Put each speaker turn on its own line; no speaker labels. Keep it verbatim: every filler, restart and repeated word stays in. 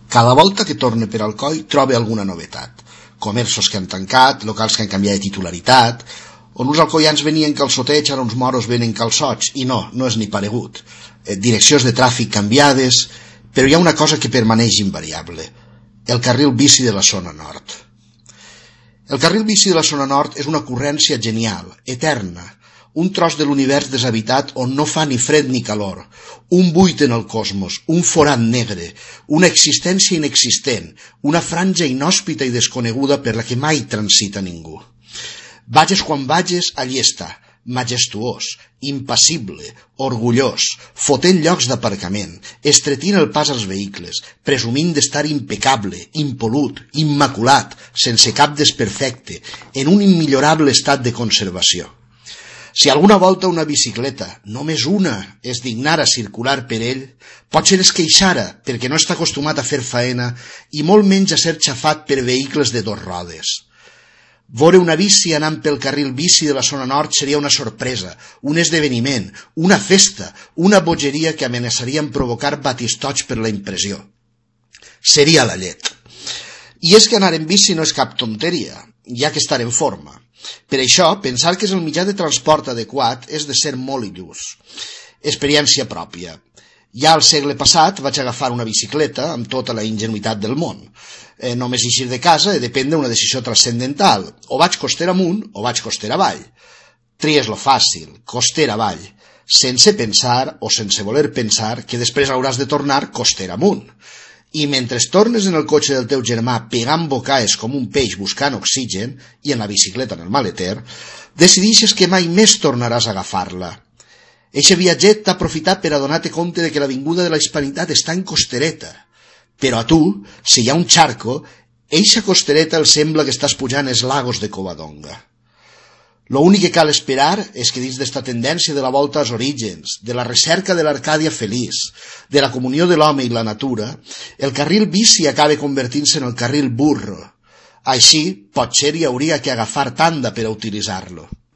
Cada volta que torna per Alcoi troba alguna novetat. Comerços que han tancat, locals que han canviat de titularitat, on uns alcoians venien calçoteig, ara uns moros venen calçots, i no, no és ni paregut. Eh, direccions de tràfic canviades, però hi ha una cosa que permaneix invariable: el carril bici de la zona nord. El carril bici de la zona nord és una ocurrència genial, eterna, un tros de l'univers deshabitat on no fa ni fred ni calor, un buit en el cosmos, un forat negre, una existència inexistent, una franja inhòspita i desconeguda per la que mai transita ningú. Vages quan vages, allí està, majestuós, impassible, orgullós, fotent llocs d'aparcament, estretint el pas als vehicles, presumint d'estar impecable, impolut, immaculat, sense cap desperfecte, en un immillorable estat de conservació. Si alguna volta una bicicleta, només una, es dignara a circular per ell, potser es queixara perquè no està acostumat a fer faena i molt menys a ser xafat per vehicles de dos rodes. Veure una bici anant pel carril bici de la zona nord seria una sorpresa, un esdeveniment, una festa, una bogeria que amenaçaria en provocar batistoig per la impressió. Seria la llet. I és que anar en bici no és cap tonteria, hi ha que estar en forma. Per això, pensar que és el mitjà de transport adequat és de ser molt il·lús. Experiència pròpia. Ja al segle passat vaig agafar una bicicleta amb tota la ingenuïtat del món. Eh, només eixir de casa he de prendre una decisió transcendental. O vaig costera amunt o vaig costera avall. Tries lo fàcil, costera avall, sense pensar o sense voler pensar que després hauràs de tornar costera amunt. I mentre tornes en el cotxe del teu germà pegant bocaes com un peix buscant oxigen, i en la bicicleta en el maleter, decidixes que mai més tornaràs a agafar-la. Eixe viatget t'ha aprofitat per adonar-te compte de que la vinguda de la hispanitat està en costereta. Però a tu, si hi ha un charco, eixa costereta el sembla que estàs pujant els lagos de Covadonga. Lo únic que cal esperar és que dins d'esta tendència de la volta als orígens, de la recerca de l'Arcàdia feliç, de la comunió de l'home i la natura, el carril bici acabe convertint-se en el carril burro. Així, potser hi hauria que agafar tanda per a utilitzar-lo.